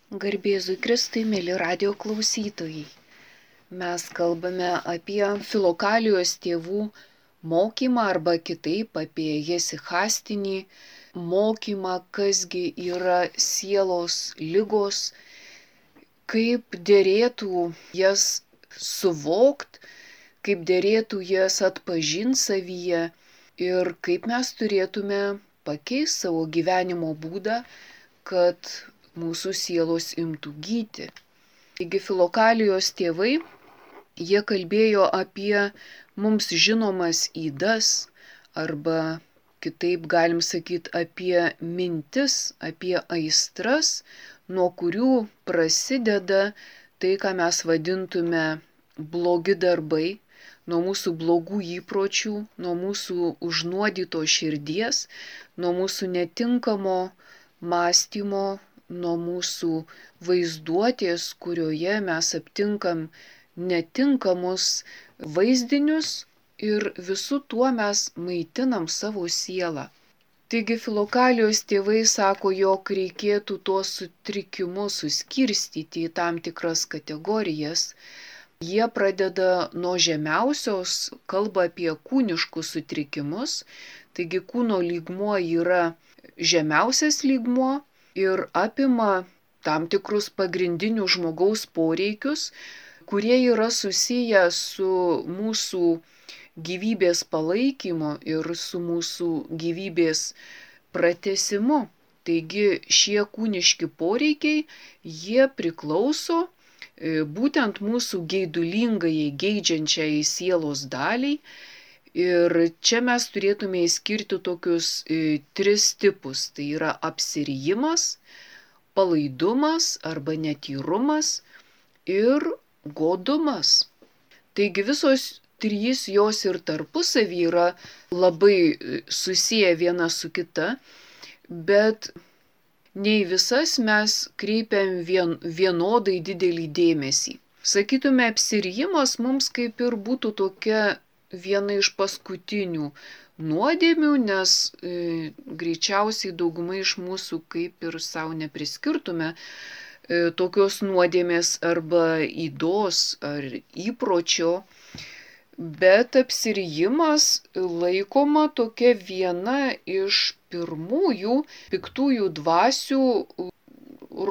Garbėzui Kristui, mėly radio klausytojai. Mes kalbame apie Filokalijos tėvų mokymą arba kitaip apie jesichastinį mokymą, kasgi yra sielos ligos, kaip dėrėtų jas suvokt, kaip dėrėtų jas atpažinti savyje ir kaip mes turėtume pakeisti savo gyvenimo būdą, kad mūsų sielos imtų gyti. Taigi Filokalijos tėvai, jie kalbėjo apie mums žinomas ydas, arba kitaip galim sakyti apie mintis, apie aistras, nuo kurių prasideda tai, ką mes vadintume blogi darbai, nuo mūsų blogų įpročių, nuo mūsų užnuodytos širdies, nuo mūsų netinkamo mąstymo, nuo mūsų vaizduotės, kurioje mes aptinkam netinkamus vaizdinius ir visų tuo mes maitinam savo sielą. Taigi Filokalijos tėvai sako, jog reikėtų tuos sutrikimus suskirstyti į tam tikras kategorijas. Jie pradeda nuo žemiausios, kalba apie kūniškus sutrikimus, taigi kūno lygmuo yra žemiausias lygmuo ir apima tam tikrus pagrindinius žmogaus poreikius, kurie yra susiję su mūsų gyvybės palaikymu ir su mūsų gyvybės pratęsimu. Taigi šie kūniški poreikiai, jie priklauso būtent mūsų geidulingai geidžiančiai sielos daliai. Ir čia mes turėtume įskirti tokius tris tipus. Tai yra apsirijimas, palaidumas arba netyrumas ir godumas. Taigi visos trys jos ir tarpusavy yra labai susiję viena su kita, bet nei visas mes kreipiam vienodai didelį dėmesį. Sakytume, apsirijimas mums kaip ir būtų tokia viena iš paskutinių nuodėmių, nes greičiausiai dauguma iš mūsų kaip ir savo nepriskirtume tokios nuodėmės arba ydos ar įpročio, bet apsirijimas laikoma tokia viena iš pirmųjų piktųjų dvasių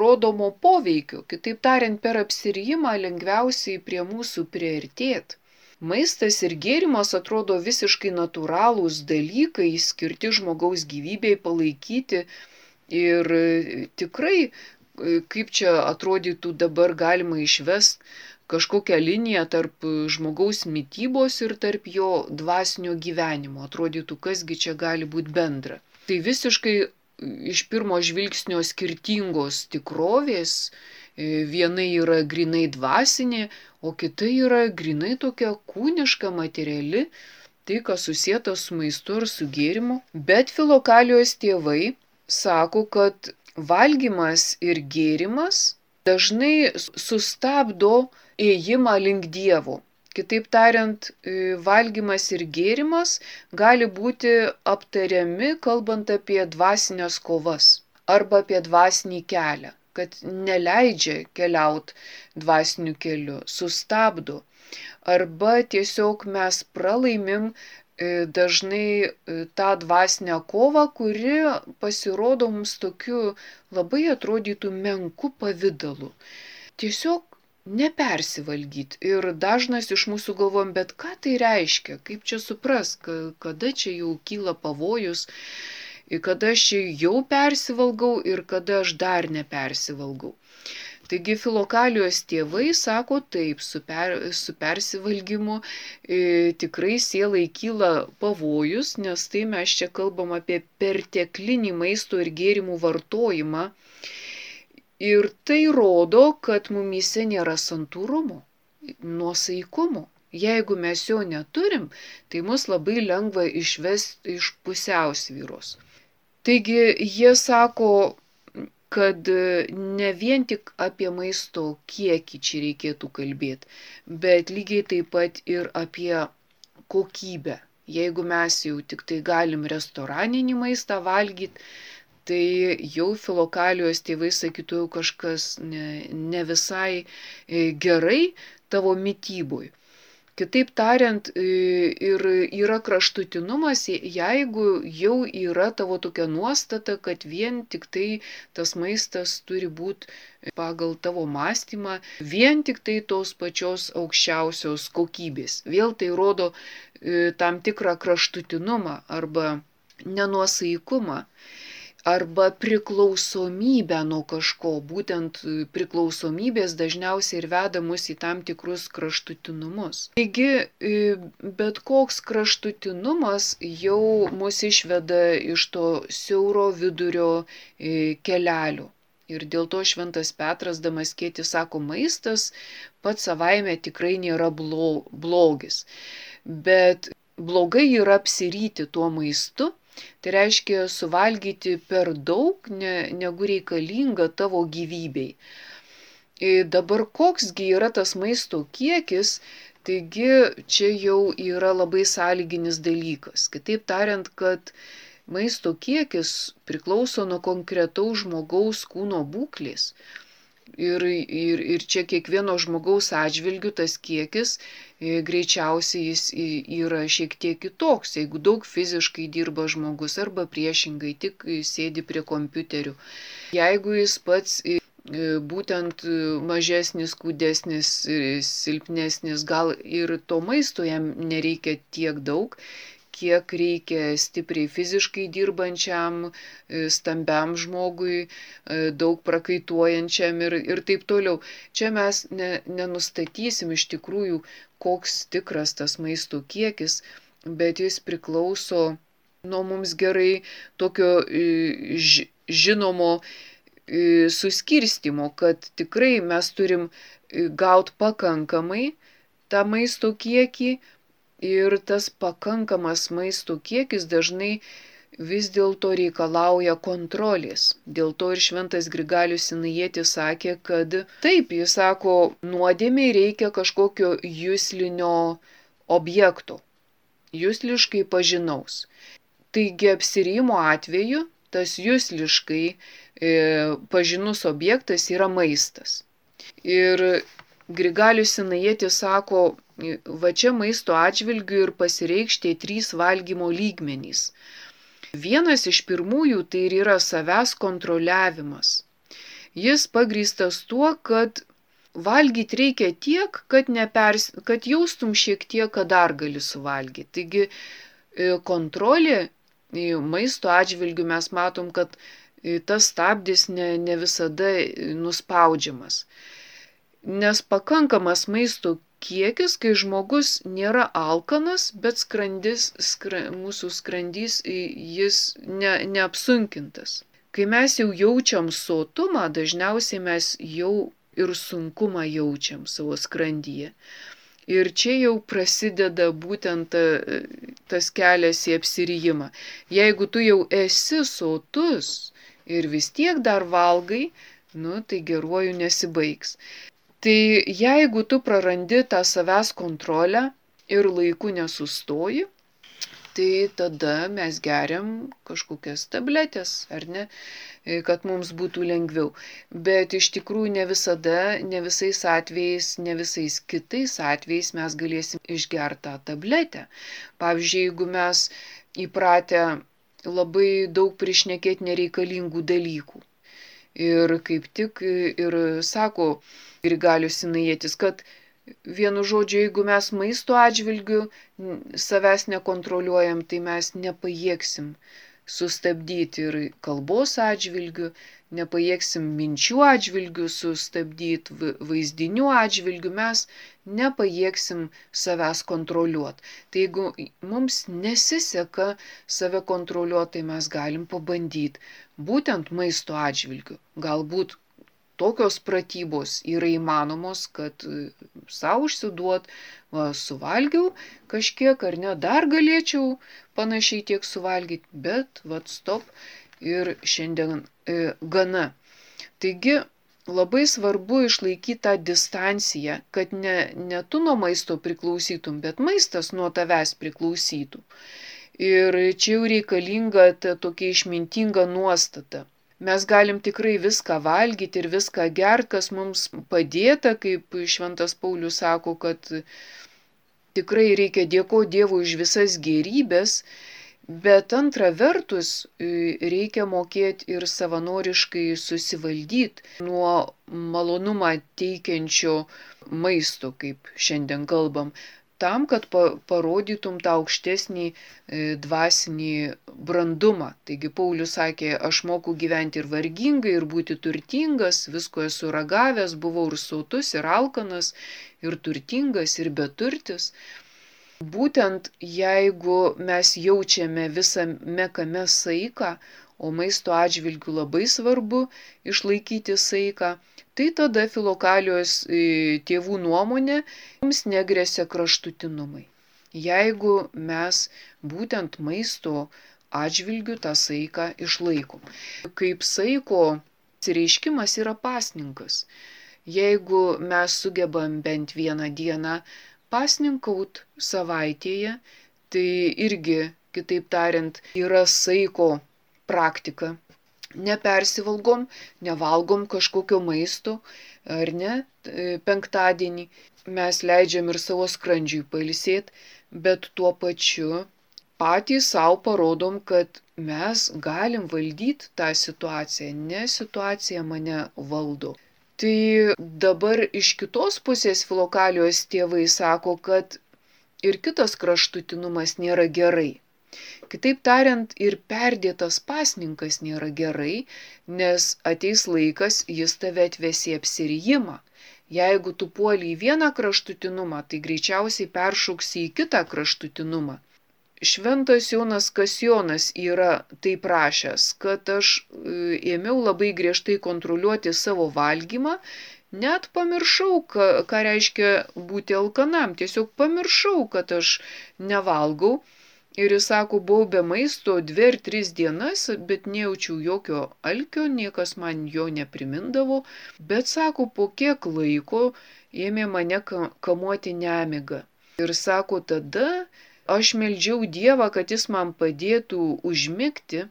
rodomo poveikio. Kitaip tariant, per apsirijimą lengviausiai prie mūsų priartėt. Maistas ir gėrimas atrodo visiškai natūralūs dalykai, skirti žmogaus gyvybei palaikyti ir tikrai, kaip čia atrodytų dabar galima išvest kažkokią liniją tarp žmogaus mitybos ir tarp jo dvasinio gyvenimo. Atrodytų, kasgi čia gali būti bendra. Tai visiškai iš pirmo žvilgsnio skirtingos tikrovės. Viena yra grinai dvasinė, o kita yra grinai tokia kūniška, materiali, tai kas susieta su maistu ar su gėrimu. Bet Filokalijos tėvai sako, kad valgymas ir gėrimas dažnai sustabdo ėjimą link Dievo. Kitaip tariant, valgymas ir gėrimas gali būti aptariami, kalbant apie dvasinės kovas arba apie dvasinį kelią, kad neleidžia keliauti dvasiniu keliu, sustabdo. Arba tiesiog mes pralaimim dažnai tą dvasinę kovą, kuri pasirodo mums tokiu labai atrodytų menku pavidalu. Tiesiog nepersivalgyti. Ir dažnas iš mūsų galvojam, bet ką tai reiškia, kaip čia supras, kada čia jau kyla pavojus, kada aš jau persivalgau ir kada aš dar nepersivalgau. Taigi Filokalijos tėvai sako taip, su persivalgymu tikrai sielai kyla pavojus, nes tai mes čia kalbam apie perteklinį maisto ir gėrimų vartojimą. Ir tai rodo, kad mumyse nėra santūrumo, nuosaikumo. Jeigu mes jo neturim, tai mus labai lengva išvesti iš pusiausvyros. Taigi jie sako, kad ne vien tik apie maisto kiekį čia reikėtų kalbėti, bet lygiai taip pat ir apie kokybę. Jeigu mes jau tik tai galim restoraninį maistą valgyti, tai jau filokalijos tėvai sakytų, jau kažkas ne visai gerai tavo mitybui. Kitaip tariant, ir yra kraštutinumas, jeigu jau yra tavo tokia nuostata, kad vien tik tai tas maistas turi būti pagal tavo mąstymą, vien tik tai tos pačios aukščiausios kokybės. Vėl tai rodo tam tikrą kraštutinumą arba nenuosaikumą arba priklausomybę nuo kažko. Būtent priklausomybės dažniausiai ir veda mus į tam tikrus kraštutinumus. Taigi, bet koks kraštutinumas jau mus išveda iš to siauro vidurio kelelio. Ir dėl to Šventas Petras Damaskietis sako, maistas pats savaime tikrai nėra blogis. Bet blogai yra apsiryti tuo maistu. Tai reiškia suvalgyti per daug, negu reikalinga tavo gyvybei. Dabar koksgi yra tas maisto kiekis, taigi čia jau yra labai sąlyginis dalykas. Kitaip tariant, kad maisto kiekis priklauso nuo konkretaus žmogaus kūno būklės. Ir čia kiekvieno žmogaus atžvilgiu tas kiekis greičiausiai jis yra šiek tiek kitoks, jeigu daug fiziškai dirba žmogus arba priešingai tik sėdi prie kompiuterių. Jeigu jis pats būtent mažesnis, kūdesnis, silpnesnis, gal ir to maisto jam nereikia tiek daug, kiek reikia stipriai fiziškai dirbančiam, stambiam žmogui, daug prakaituojančiam ir taip toliau. Čia mes nenustatysim iš tikrųjų, koks tikras tas maisto kiekis, bet jis priklauso nuo mums gerai tokio žinomo suskirstimo, kad tikrai mes turim gauti pakankamai tą maisto kiekį. Ir tas pakankamas maisto kiekis dažnai vis dėlto reikalauja kontrolės. Dėl to ir Šventas Grigalius Sinajietis sakė, kad taip, jis sako, nuodėmei reikia kažkokio juslinio objekto, jusliškai pažinaus. Taigi apsirijimo atveju tas jusliškai pažinus objektas yra maistas. Ir Grigalius Sinajietis sako, va čia maisto atžvilgių ir pasireikš tie 3 valgymo lygmenys. Vienas iš pirmųjų tai ir yra savęs kontroliavimas. Jis pagrįstas tuo, kad valgyti reikia tiek, kad jaustum šiek tiek, kad dar gali suvalgyti. Taigi kontrolė maisto atžvilgių mes matom, kad tas stabdis ne visada nuspaudžiamas. Nes pakankamas maisto kiekis, kai žmogus nėra alkanas, bet mūsų skrandys jis neapsunkintas. Kai mes jau jaučiam sotumą, dažniausiai mes jau ir sunkumą jaučiam savo skrandyje. Ir čia jau prasideda būtent tas kelias į apsirijimą. Jeigu tu jau esi sotus ir vis tiek dar valgai, tai geruoju nesibaigs. Tai jeigu tu prarandi tą savęs kontrolę ir laiku nesustoji, tai tada mes geriam kažkokias tabletės, ar ne, kad mums būtų lengviau. Bet iš tikrųjų ne visada, ne visais atvejais, ne visais kitais atvejais mes galėsim išgerti tą tabletę. Pavyzdžiui, jeigu mes įpratę labai daug prišnekėti nereikalingų dalykų. Ir kaip tik ir sako Grigalius Sinajietis, kad vienu žodžiu, jeigu mes maisto atžvilgiu savęs nekontroliuojam, tai mes nepajėgsim sustabdyti ir kalbos atžvilgiu, nepajėgsim minčių atžvilgiu sustabdyti, vaizdinių atžvilgiu, mes nepajėgsim savęs kontroliuoti. Tai jeigu mums nesiseka save kontroliuoti, tai mes galim pabandyti būtent maisto atžvilgiu. Galbūt tokios pratybos yra įmanomos, kad savo užsiduot, suvalgiau kažkiek ar ne, dar galėčiau panašiai tiek suvalgyti, bet stop ir šiandien gana. Taigi labai svarbu išlaikyti tą distanciją, kad ne tu nuo maisto priklausytum, bet maistas nuo tavęs priklausytų. Ir čia jau reikalinga ta tokia išmintinga nuostata. Mes galim tikrai viską valgyti ir viską gerti, kas mums padėta, kaip Šventas Paulius sako, kad tikrai reikia dėkoti Dievui už visas gėrybės, bet antra vertus reikia mokėti ir savanoriškai susivaldyti nuo malonumą teikiančio maisto, kaip šiandien kalbam, tam, kad parodytum tą aukštesnį dvasinį brandumą. Taigi Paulius sakė, aš moku gyventi ir vargingai, ir būti turtingas, visko esu ragavęs, buvau ir sotus, ir alkanas, ir turtingas, ir beturtis. Būtent jeigu mes jaučiame visame kame saiką, o maisto atžvilgių labai svarbu išlaikyti saiką, tai tada Filokalijos tėvų nuomonė mums negresia kraštutinumai. Jeigu mes būtent maisto atžvilgių tą saiką išlaikom. Kaip saiko reiškimas yra pasninkas. Jeigu mes sugebam bent vieną dieną pasninkaut savaitėje, tai irgi, kitaip tariant, yra saiko praktika. Nepersivalgom, nevalgom kažkokio maisto, ar ne, penktadienį. Mes leidžiam ir savo skrandžiui pailsėti, bet tuo pačiu patys savo parodom, kad mes galim valdyti tą situaciją, ne situacija mane valdo. Tai dabar iš kitos pusės Filokalijos tėvai sako, kad ir kitas kraštutinumas nėra gerai. Kitaip tariant, ir perdėtas pasninkas nėra gerai, nes ateis laikas, jis tave atves į apsirijimą. Jeigu tu puoli į vieną kraštutinumą, tai greičiausiai peršoksi į kitą kraštutinumą. Šventas Jonas Kasjonas yra taip rašęs, kad aš ėmiau labai griežtai kontroliuoti savo valgymą, net pamiršau, ką reiškia būti alkanam, tiesiog pamiršau, kad aš nevalgau. Ir jis sako, buvau be maisto 2 ar 3 dienas, bet nejaučiau jokio alkio, niekas man jo neprimindavo, bet sako, po kiek laiko ėmė mane kamuoti nemiga. Ir sako, tada aš meldžiau Dievą, kad jis man padėtų užmigti,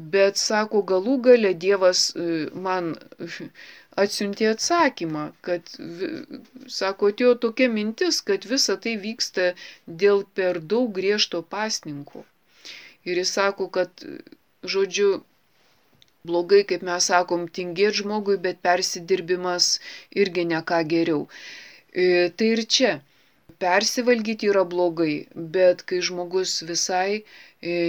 bet, sako, galų gale Dievas man atsiuntė atsakymą, kad, sako, atėjo tokia mintis, kad visa tai vyksta dėl per daug griežto pasninko. Ir jis sako, kad, žodžiu, blogai, kaip mes sakom, tingėti žmogui, bet persidirbimas irgi ne ką geriau. Tai ir čia. Persivalgyti yra blogai, bet kai žmogus visai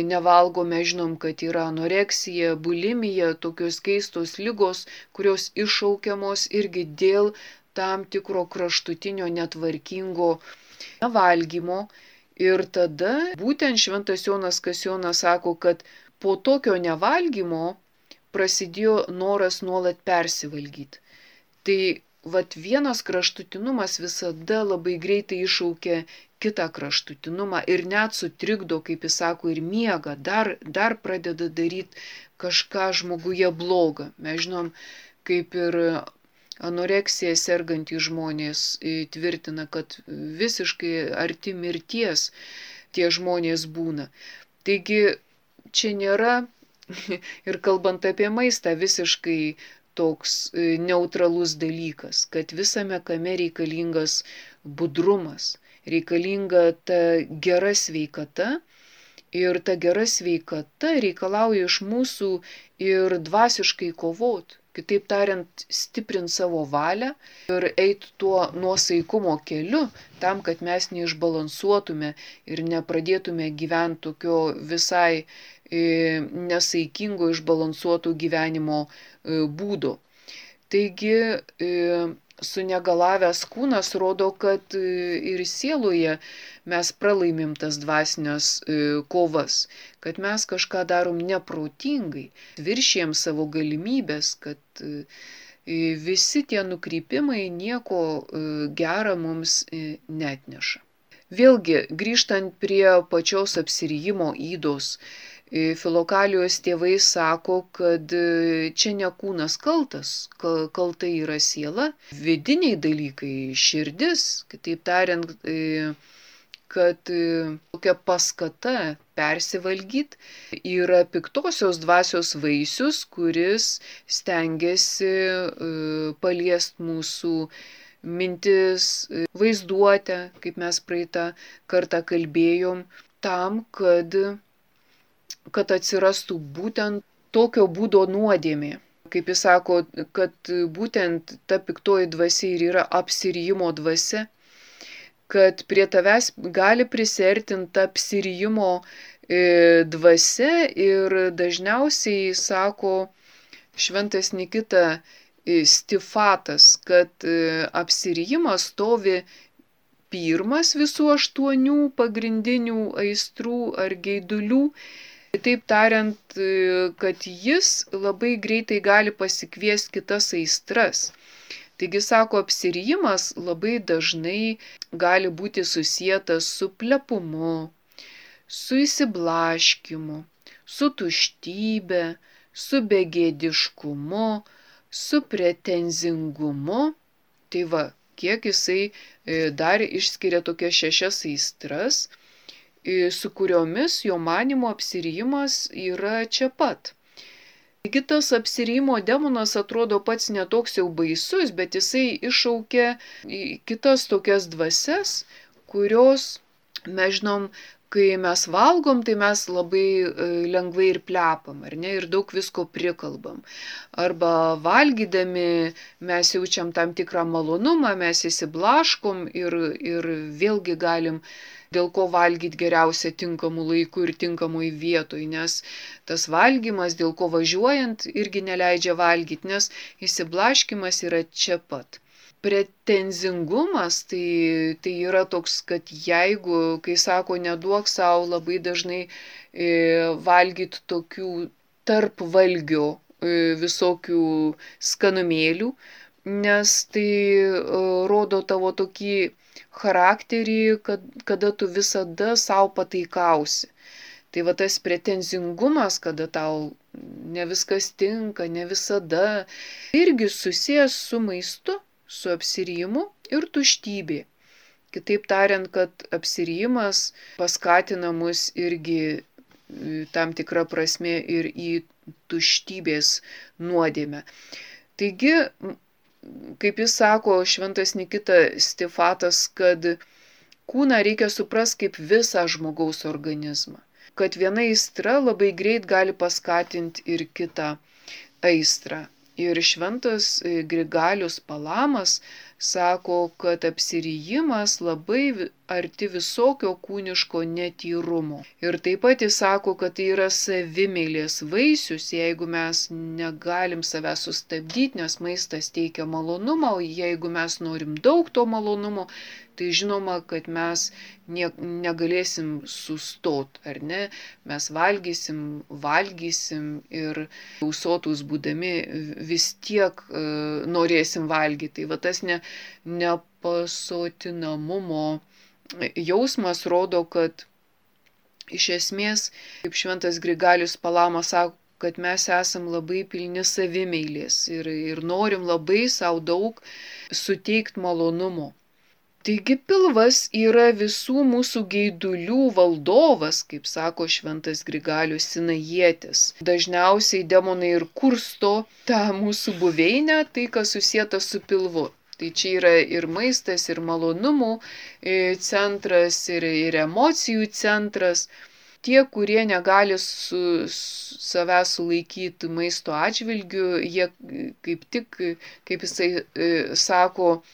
nevalgo, mes žinom, kad yra anoreksija, bulimija, tokios keistos ligos, kurios iššaukiamos irgi dėl tam tikro kraštutinio netvarkingo nevalgymo. Ir tada būtent Šventas Jonas Kasjonas sako, kad po tokio nevalgymo prasidėjo noras nuolat persivalgyti. Tai vat vienas kraštutinumas visada labai greitai iššaukia kitą kraštutinumą ir net sutrikdo, kaip jis sako, ir miegą, dar pradeda daryti kažką žmoguje blogą. Mes žinom, kaip ir anoreksija sergantys žmonės tvirtina, kad visiškai arti mirties tie žmonės būna. Taigi čia nėra, ir kalbant apie maistą, visiškai toks neutralus dalykas, kad visame kame reikalingas budrumas, reikalinga ta gera sveikata ir ta gera sveikata reikalauja iš mūsų ir dvasiškai kovot, kitaip tariant, stiprint savo valią ir eit tuo nuosaikumo keliu tam, kad mes neišbalansuotume ir nepradėtume gyventi tokio visai nesaikingo išbalansuoto gyvenimo būdo. Taigi sunegalavęs kūnas rodo, kad ir sieloje mes pralaimim tas dvasinės kovas, kad mes kažką darom neprotingai, viršijam savo galimybės, kad visi tie nukrypimai nieko gera mums neatneša. Vėlgi, grįžtant prie pačios apsirijimo ydos, Filokalijos tėvai sako, kad čia ne kūnas kaltas, kalta yra siela, vidiniai dalykai, širdis, kitaip tariant, kad tokia paskata persivalgyti yra piktosios dvasios vaisius, kuris stengiasi paliesti mūsų mintis, vaizduotę, kaip mes praeitą kartą kalbėjom, tam, kad atsirastų būtent tokio būdo nuodėmė. Kaip jis sako, kad būtent ta piktoji dvasia ir yra apsirijimo dvasia, kad prie tavęs gali prisertinti ta apsirijimo dvasia ir dažniausiai sako šventas Nikita Stifatas, kad apsirijimas stovi pirmas visų 8 pagrindinių aistrų ar geidulių. Taip tariant, kad jis labai greitai gali pasikviesti kitas aistras. Taigi, sako, apsirijimas labai dažnai gali būti susietas su plepumu, su įsiblaškimu, su tuštybe, su begėdiškumu, su pretenzingumu. Tai va, kiek jisai dar išskiria tokias 6 aistras, su kuriomis jo manymu apsirijimas yra čia pat. Taigi tas apsirijimo demonas atrodo pats netoks jau baisus, bet jisai iššaukia kitas tokias dvasias, kurios, mes žinom, kai mes valgom, tai mes labai lengvai ir plepam, ar ne, ir daug visko prikalbam. Arba valgydami mes jaučiam tam tikrą malonumą, mes įsiblaškom ir vėlgi galim dėl ko valgyti geriausia tinkamu laiku ir tinkamoj vietoj, nes tas valgymas, dėl ko važiuojant, irgi neleidžia valgyti, nes įsiblaškimas yra čia pat. Pretenzingumas tai yra toks, kad jeigu, kai sako, neduok savo labai dažnai valgyti tokių tarp valgio visokių skanumėlių, nes tai rodo tavo tokį charakterį, kada tu visada savo pataikausi. Tai va tas pretenzingumas, kada tau ne viskas tinka, ne visada, irgi susijęs su maistu, su apsirijimu ir tuštybė. Kitaip tariant, kad apsirijimas paskatina mus irgi tam tikrą prasme ir į tuštybės nuodėmę. Taigi, kaip jis sako, šventas Nikita Stifatas, kad kūną reikia suprasti kaip visą žmogaus organizmą. Kad viena aistra labai greit gali paskatinti ir kitą aistrą. Ir šventas Grigalius Palamas sako, kad apsirijimas labai arti visokio kūniško netyrumo. Ir taip pat jis sako, kad tai yra savimeilės vaisius, jeigu mes negalim savęs sustabdyti, nes maistas teikia malonumą, o jeigu mes norim daug to malonumo, tai žinoma, kad mes negalėsim sustot, ar ne? Mes valgysim ir sotus būdami vis tiek norėsim valgyti. Tai va tas nepasotinamumo jausmas rodo, kad iš esmės, kaip šventas Grigalius Palamas sako, kad mes esam labai pilni savimeilės ir norim labai savo daug suteikti malonumo. Taigi pilvas yra visų mūsų geidulių valdovas, kaip sako šventas Grigalius Sinajietis. Dažniausiai demonai ir kursto tą mūsų buveinę, tai kas susieta su pilvu. Tai čia yra ir maistas, ir malonumų centras, ir emocijų centras. Tie, kurie negali savęs sulaikyti maisto atžvilgiu, jie kaip tik, kaip jisai sako,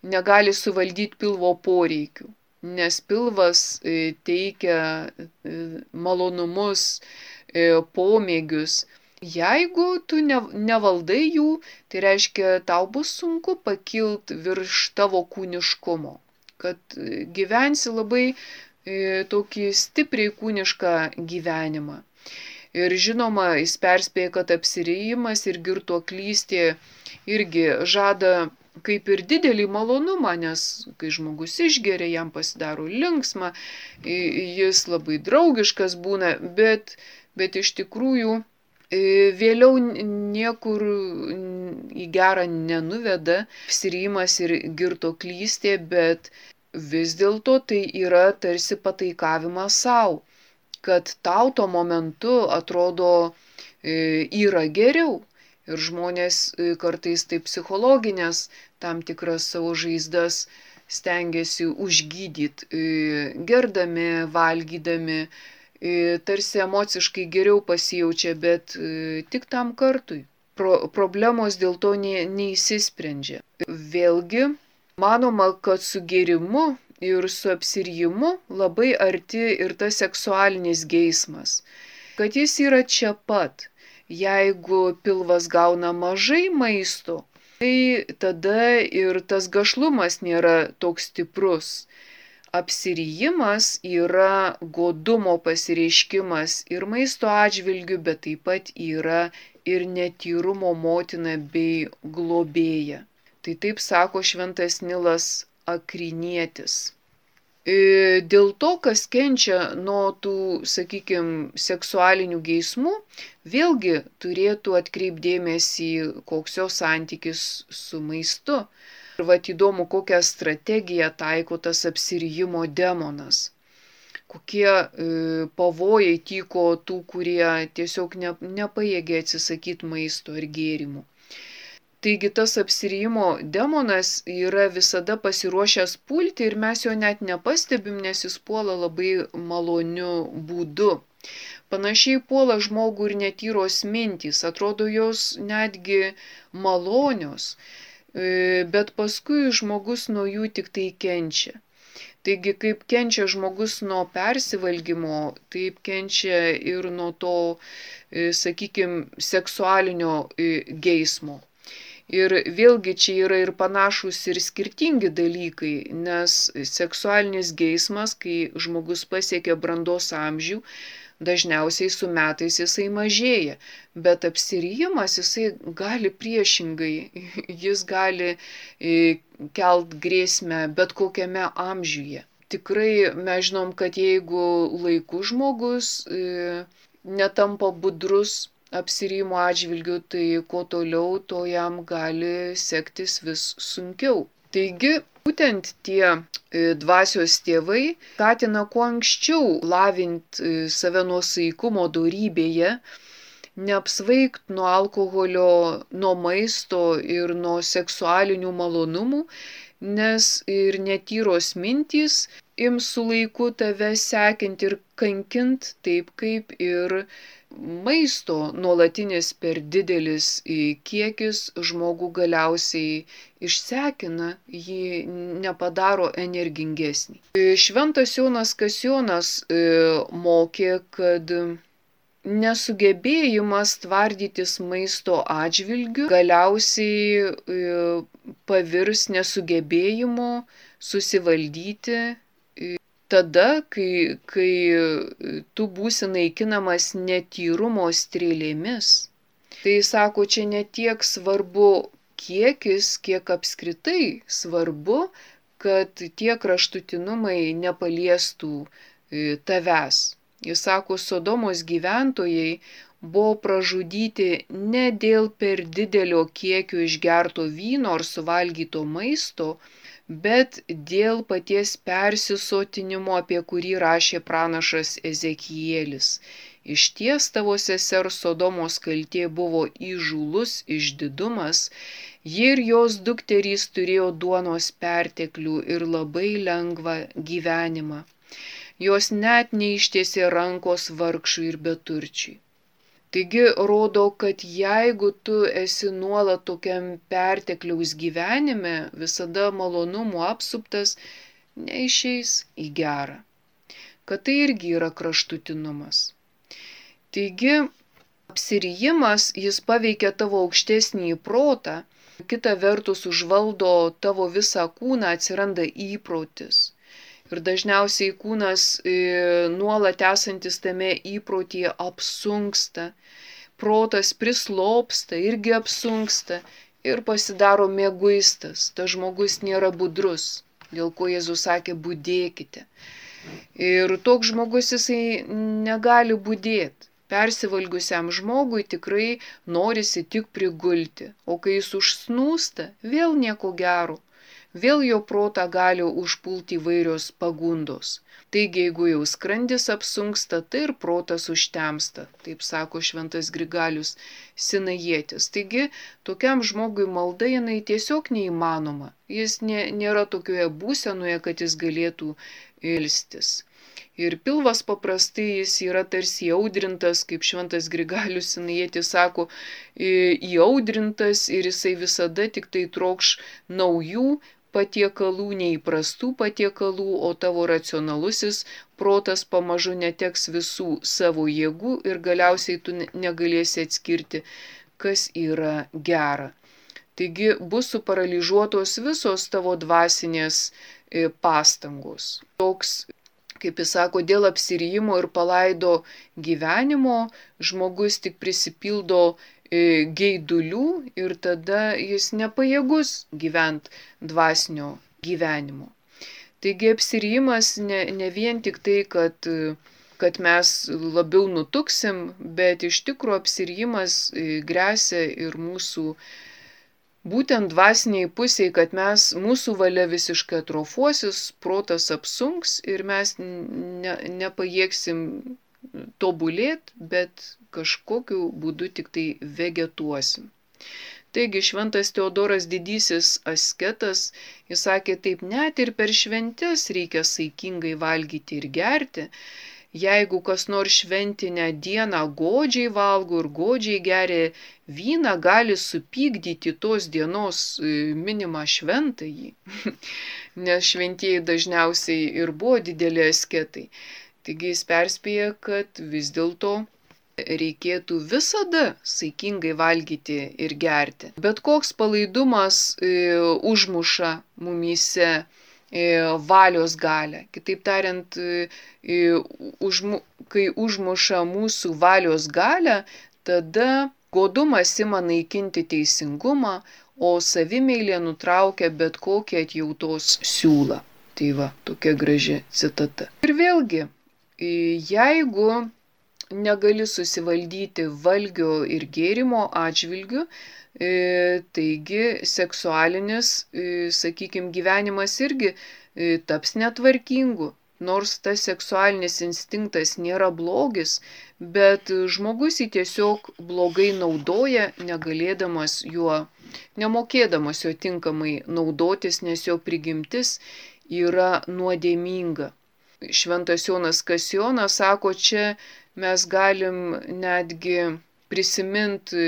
negali suvaldyti pilvo poreikių, nes pilvas teikia malonumus, pomėgius. Jeigu tu nevaldai jų, tai reiškia, tau bus sunku pakilti virš tavo kūniškumo, kad gyvensi labai tokį stipriai kūnišką gyvenimą. Ir žinoma, jis perspėja, kad apsirijimas ir girtuoklystė irgi žada kaip ir didelį malonumą, nes kai žmogus išgeria, jam pasidaro linksma, jis labai draugiškas būna, bet iš tikrųjų vėliau niekur į gerą nenuveda apsirijimas ir girtuoklystė, bet vis dėlto tai yra tarsi pataikavimas savo, kad tau tuo momentu atrodo yra geriau. Ir žmonės kartais taip psichologinės tam tikras savo žaizdas stengiasi užgydyti, gerdami, valgydami, tarsi emociškai geriau pasijaučia, bet tik tam kartui. Problemos dėl to neįsisprendžia. Vėlgi, manoma, kad su gėrimu ir su apsirijimu labai arti ir tas seksualinis geismas, kad jis yra čia pat. Jeigu pilvas gauna mažai maisto, tai tada ir tas gašlumas nėra toks stiprus. Apsirijimas yra godumo pasireiškimas ir maisto atžvilgiu, bet taip pat yra ir netyrumo motina bei globėja. Tai taip sako šventas Nilas Akrinietis. Dėl to, kas kenčia nuo tų, sakykime, seksualinių geismų, vėlgi turėtų atkreipdėmėsi, koks jo santykis su maistu. Ir vat įdomu, kokią strategiją taiko tas apsirijimo demonas. Kokie pavojai tyko tų, kurie tiesiog nepajėgė atsisakyti maisto ir gėrimų. Taigi tas apsirijimo demonas yra visada pasiruošęs pulti ir mes jo net nepastebim, nes jis puola labai maloniu būdu. Panašiai puola žmogų ir netyros mintys, atrodo jos netgi malonios, bet paskui žmogus nuo jų tik tai kenčia. Taigi kaip kenčia žmogus nuo persivalgymo, taip kenčia ir nuo to, sakykime, seksualinio geismo. Ir vėlgi čia yra ir panašus ir skirtingi dalykai, nes seksualinis geismas, kai žmogus pasiekia brandos amžių, dažniausiai su metais jisai mažėja, bet apsirijimas jisai gali priešingai, jis gali kelt grėsmę bet kokiame amžiuje. Tikrai mes žinom, kad jeigu laiku žmogus netampa budrus apsirijimo atžvilgiu, tai kuo toliau, to jam gali sektis vis sunkiau. Taigi, būtent tie dvasios tėvai skatina kuo anksčiau lavinti save nuosaikumo dorybėje, neapsvaigt nuo alkoholio, nuo maisto ir nuo seksualinių malonumų, nes ir netyros mintys ims su laiku tave sekinti ir kankint, taip kaip ir maisto nuolatinis per didelis kiekis žmogų galiausiai išsekina, jį nepadaro energingesnį. Šventas Jonas Kasionas mokė, kad nesugebėjimas tvardytis maisto atžvilgiu galiausiai pavirs nesugebėjimu susivaldyti tada, kai tu būsi naikinamas netyrumo strėlėmis. Tai sako, čia ne tiek svarbu kiekis, kiek apskritai svarbu, kad tie kraštutinumai nepaliestų tavęs. Jis sako, Sodomos gyventojai buvo pražudyti ne dėl per didelio kiekio išgerto vyno ar suvalgyto maisto, bet dėl paties persisotinimo, apie kurį rašė pranašas Ezekielis. Išties tavo sesers Sodomos kaltė buvo įžūlus išdidumas, ji ir jos dukterys turėjo duonos perteklių ir labai lengvą gyvenimą. Jos net neištiesė rankos vargšui ir beturčiui. Taigi rodo, kad jeigu tu esi nuolat tokiam pertekliaus gyvenime, visada malonumų apsuptas, neišeis į gerą. Kad tai irgi yra kraštutinumas. Taigi, apsirijimas, jis paveikia tavo aukštesnį protą, kita vertus užvaldo tavo visą kūną, atsiranda įprotis. Ir dažniausiai kūnas nuolat esantis tame įprotyje apsunksta, protas prislopsta, irgi apsunksta ir pasidaro mieguistas. Tas žmogus nėra budrus, dėl ko Jėzus sakė, budėkite. Ir toks žmogus jisai negali budėti. Persivalgiusiam žmogui tikrai norisi tik prigulti, o kai jis užsnūsta, vėl nieko gero. vėl jo protą gali užpulti įvairios pagundos. Taigi, jeigu jau skrandis apsunksta, tai ir protas užtemsta, taip sako šventas Grigalius Sinajietis. Taigi, tokiam žmogui malda jinai tiesiog neįmanoma. Jis nėra tokioje būsenoje, kad jis galėtų ilstis. Ir pilvas paprastai jis yra tarsi įaudrintas, kaip šventas Grigalius Sinajietis sako, įaudrintas ir jisai visada tik tai trokš naujų patiekalų, neįprastų patiekalų, o tavo racionalusis protas pamažu neteks visų savo jėgų ir galiausiai tu negalėsi atskirti, kas yra gera. Taigi bus suparalyžiuotos visos tavo dvasinės pastangos. Toks, kaip jis sako, dėl apsirijimo ir palaido gyvenimo žmogus tik prisipildo geidulių ir tada jis nepajėgus gyventi dvasinio gyvenimo. Taigi apsirijimas ne vien tik tai, kad mes labiau nutuksim, bet iš tikrųjų apsirijimas gresia ir mūsų būtent dvasiniai pusiai, kad mūsų valia visiškai atrofuosis, protas apsunks ir mes nepajėgsim tobulėti, bet kažkokiu būdu tik tai vegetuosim. Taigi šventas Teodoras Didysis asketas, jis sakė taip, net ir per šventes reikia saikingai valgyti ir gerti. Jeigu kas nors šventinę dieną godžiai valgo ir godžiai geria vyną, gali supykdyti tos dienos minimą šventąjį, nes šventieji dažniausiai ir buvo dideli asketai. Taigi jis perspėja, kad vis dėlto reikėtų visada saikingai valgyti ir gerti. Bet koks palaidumas užmuša mumyse valios galią. Kitaip tariant, kai užmuša mūsų valios galią, tada godumas ima naikinti teisingumą, o savimeilė nutraukia bet kokį atjautos siūlą. Tai va, tokia graži citata. Ir vėlgi, jeigu negali susivaldyti valgio ir gėrimo atžvilgiu, taigi seksualinis, sakykime, gyvenimas irgi taps netvarkingu. Nors tas seksualinis instinktas nėra blogis, bet žmogus jį tiesiog blogai naudoja, negalėdamas juo, nemokėdamas jo tinkamai naudotis, nes jo prigimtis yra nuodėminga. Šventas Jonas Kasionas sako, čia mes galim netgi prisiminti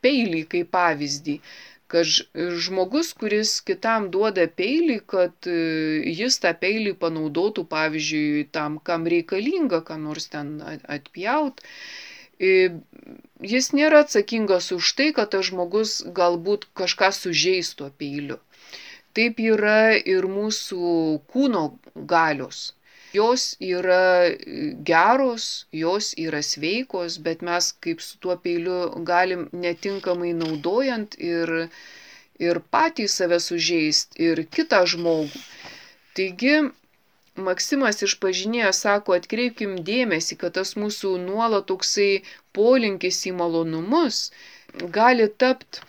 peilį kaip pavyzdį, kad žmogus, kuris kitam duoda peilį, kad jis tą peilį panaudotų, pavyzdžiui, tam, kam reikalinga, ką nors ten atpjaut, jis nėra atsakingas už tai, kad tas žmogus galbūt kažką sužeis tuo peiliu. Taip yra ir mūsų kūno galios. Jos yra geros, jos yra sveikos, bet mes kaip su tuo peiliu galim netinkamai naudojant ir patys save sužeist, ir kitą žmogų. Taigi, Maksimas Išpažinėjas sako, atkreipkim dėmesį, kad tas mūsų nuolat toksai polinkis į malonumus gali tapti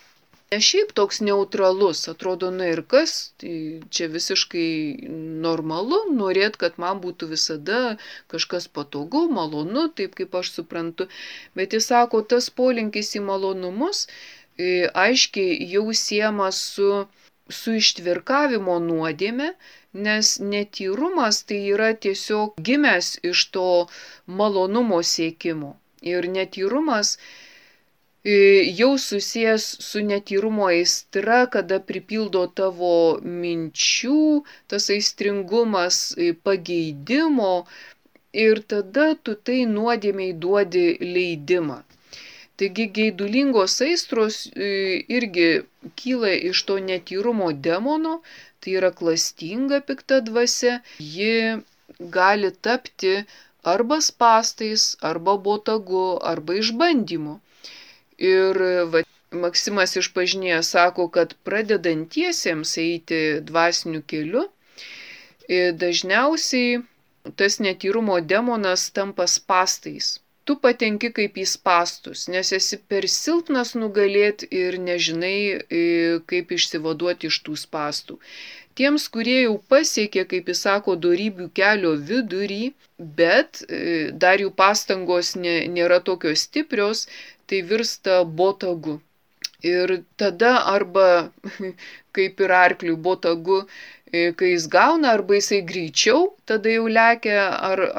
ne šiaip toks neutralus, atrodo, na ir kas, tai čia visiškai normalu, norėt, kad man būtų visada kažkas patogu, malonu, taip kaip aš suprantu, bet jis sako, tas polinkis į malonumus aiškiai jau siejamas su ištvirkavimo nuodėme, nes netyrumas tai yra tiesiog gimęs iš to malonumo siekimo. Ir netyrumas jau susijęs su netyrumo aistra, kada pripildo tavo minčių, tas aistringumas pageidimo ir tada tu tai nuodėmei duodi leidimą. Taigi geidulingos aistros irgi kyla iš to netyrumo demono, tai yra klastinga pikta dvasia, ji gali tapti arba spąstais, arba botagu, arba išbandymu. Ir Maksimas Išpažinėjas sako, kad pradedantiesiems eiti dvasiniu keliu, dažniausiai tas netyrumo demonas tampa spąstais. tu patenki kaip į spąstus, nes esi per silpnas nugalėti ir nežinai, kaip išsivaduoti iš tų spąstų. Tiems, kurie jau pasiekė, kaip jis sako, dorybių kelio vidurį, bet dar jų pastangos nėra tokios stiprios, tai virsta botagu. Ir tada arba, kaip ir arkliui botagu, kai jis gauna, arba jisai greičiau, tada jau lekia,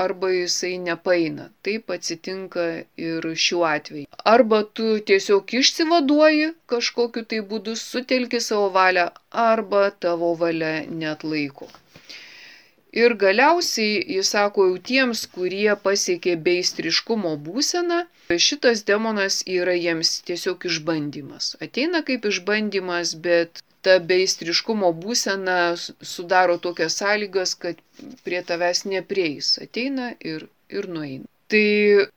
arba jisai nepaeina. Taip atsitinka ir šiuo atveju. Arba tu tiesiog išsivaduoji kažkokiu tai būdu, sutelki savo valią, arba tavo valia neatlaiko. Ir galiausiai, jis sako, jau tiems, kurie pasiekė beistriškumo būseną, šitas demonas yra jiems tiesiog išbandymas. Ateina kaip išbandymas, bet ta beistriškumo būsena sudaro tokias sąlygas, kad prie tavęs neprieis. Ateina ir nueina. Tai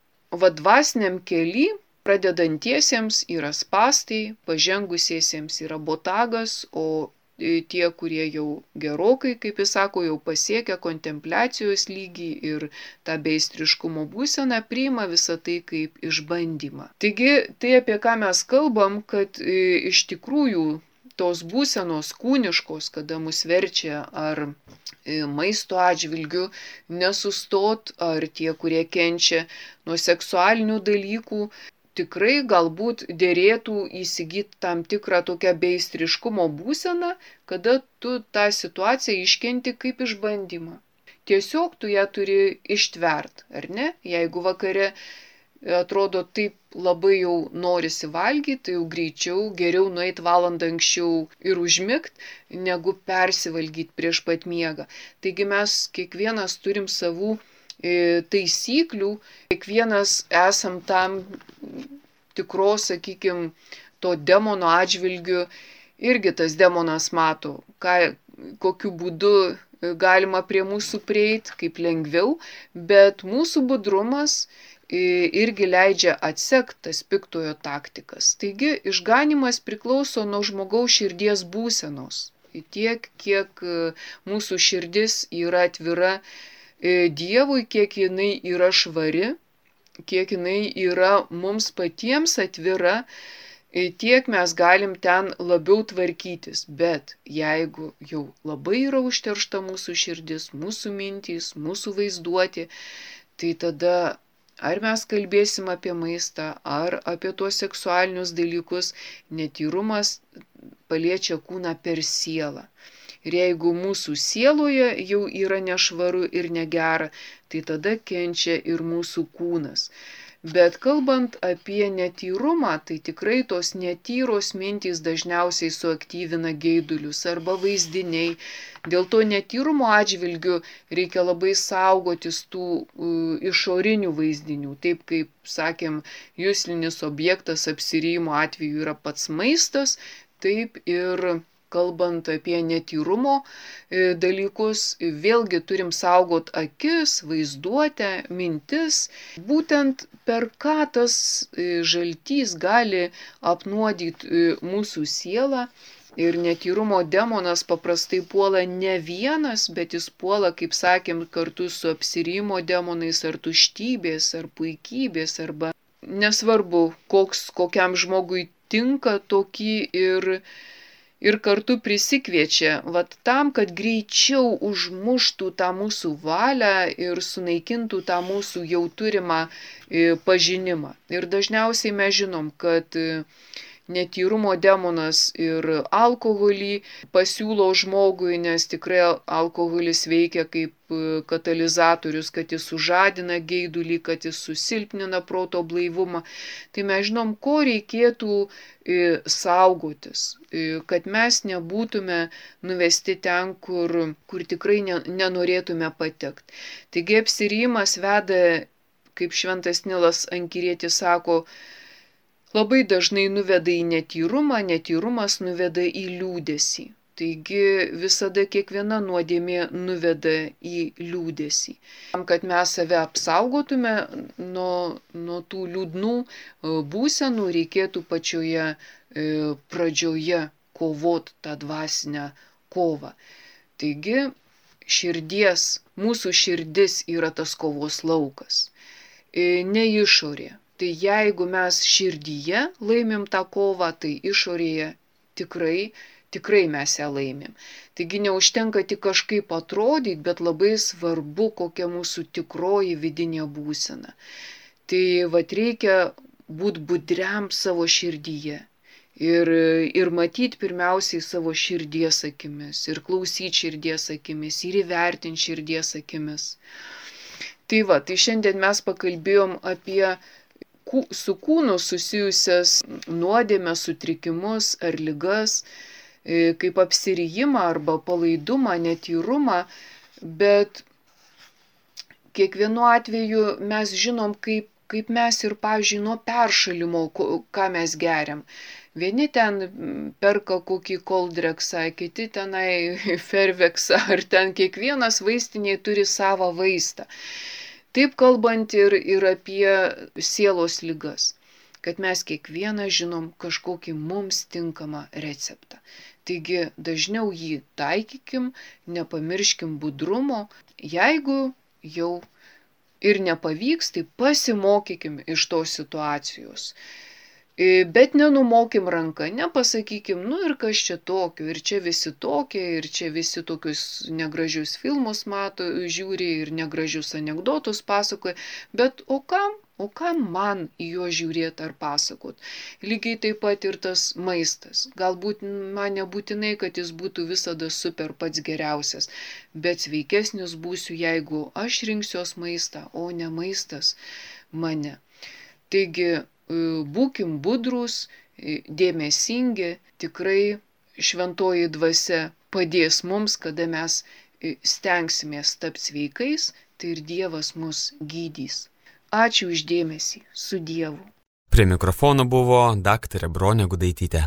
dvasiniam kely pradedantiesiems yra spąstai, pažengusiesiems yra botagas, o tie, kurie jau gerokai, kaip jis sako, jau pasiekia kontempliacijos lygį ir tą beistriškumo būseną, priima visą tai kaip išbandymą. Taigi, tai apie ką mes kalbam, kad iš tikrųjų tos būsenos kūniškos, kada mus verčia ar maisto atžvilgiu nesustot, ar tie, kurie kenčia nuo seksualinių dalykų, tikrai galbūt dėrėtų įsigyti tam tikrą tokią beistriškumo būseną, kada tu tą situaciją iškenti kaip išbandymą. Tiesiog tu ją turi ištvert, ar ne? Jeigu vakare atrodo taip labai jau norisi valgyti, tai jau greičiau, geriau nueiti valandą anksčiau ir užmigt, negu persivalgyti prieš pat miegą. Taigi mes kiekvienas turim savų taisyklių, kiekvienas esam tam tikros, sakykime, to demono atžvilgiu, irgi tas demonas mato, kokiu būdu galima prie mūsų prieiti, kaip lengviau, bet mūsų budrumas irgi leidžia atsekti tas piktojo taktikas. Taigi išganymas priklauso nuo žmogaus širdies būsenos. Tiek, kiek mūsų širdis yra atvira Dievui, kiek jinai yra švari, kiek jinai yra mums patiems atvira, tiek mes galim ten labiau tvarkytis. Bet jeigu jau labai yra užteršta mūsų širdis, mūsų mintys, mūsų vaizduotė, tai tada ar mes kalbėsim apie maistą, ar apie tuos seksualinius dalykus, netyrumas paliečia kūną per sielą. Ir jeigu mūsų sieloje jau yra nešvaru ir negera, tai tada kenčia ir mūsų kūnas. Bet kalbant apie netyrumą, tai tikrai tos netyros mintys dažniausiai suaktyvina geidulius arba vaizdiniai. Dėl to netyrumo atžvilgių reikia labai saugotis tų išorinių vaizdinių. Taip kaip, sakėm, juslinis objektas apsirijimo atveju yra pats maistas, taip ir kalbant apie netyrumo dalykus, vėlgi turim saugot akis, vaizduotę, mintis. Būtent per ką tas žaltys gali apnuodyti mūsų sielą. Ir netyrumo demonas paprastai puola ne vienas, bet jis puola, kaip sakėm, kartu su apsirijimo demonais ar tuštybės, ar puikybės, arba nesvarbu, kokiam žmogui tinka tokį ir kartu prisikviečia, tam, kad greičiau užmuštų tą mūsų valią ir sunaikintų tą mūsų jau turimą pažinimą. Ir dažniausiai mes žinom, kad netyrumo demonas ir alkoholį pasiūlo žmogui, nes tikrai alkoholis veikia kaip katalizatorius, kad jis sužadina geidulį, kad jis susilpnina proto blaivumą. Tai mes žinom, ko reikėtų saugotis, kad mes nebūtume nuvesti ten, kur tikrai nenorėtume patekti. Taigi apsirijimas veda, kaip šventas Nilas Ankirietis sako, labai dažnai nuveda į netyrumą, netyrumas nuveda į liūdesį. Taigi visada kiekviena nuodėmė nuveda į liūdesį. Tam, kad mes save apsaugotume nuo tų liūdnų būsenų, reikėtų pačioje pradžioje kovot tą dvasinę kovą. Taigi mūsų širdis yra tas kovos laukas. ne išorė. Tai jeigu mes širdyje laimim tą kovą, tai išorėje tikrai mes ją laimim. Taigi neužtenka tik kažkaip atrodyti, bet labai svarbu, kokia mūsų tikroji vidinė būsena. Tai reikia būti budriam savo širdyje. Ir matyti pirmiausiai savo širdies akimis, ir klausyti širdies akimis, ir įvertinti širdies akimis. Tai šiandien mes pakalbėjom apie su kūnu susijusias nuodėmes, sutrikimus ar ligas, kaip apsirijimą arba palaidumą, netyrumą, bet kiekvienu atveju mes žinom, kaip mes ir, pavyzdžiui, nuo peršalimo, ką mes geriam. Vieni ten perka kokį koldreksą, kiti tenai ferveksą, ar ten kiekvienas vaistiniai turi savo vaistą. Taip kalbant ir apie sielos ligas, kad mes kiekvieną žinom kažkokį mums tinkamą receptą. Taigi dažniau jį taikykim, nepamirškim budrumo, jeigu jau ir nepavyks, tai pasimokykim iš tos situacijos. Bet nenumokim ranką, nepasakykim, ir kas čia tokio, ir čia visi tokie, ir čia visi tokius negražius filmus žiūri, ir negražius anekdotus pasakoja, bet o kam man į juos žiūrėti ar pasakot? Lygiai taip pat ir tas maistas. Galbūt man nebūtinai, kad jis būtų visada super pats geriausias, bet sveikesnis būsiu, jeigu aš rinksiuos maistą, o ne maistas mane. Taigi, būkim budrūs, dėmesingi, tikrai šventoji dvasia padės mums, kada mes stengsimės tapti sveikais, tai ir Dievas mus gydys. Ačiū už dėmesį, su Dievu. Prie mikrofono buvo daktarė Bronė Gudaitytė.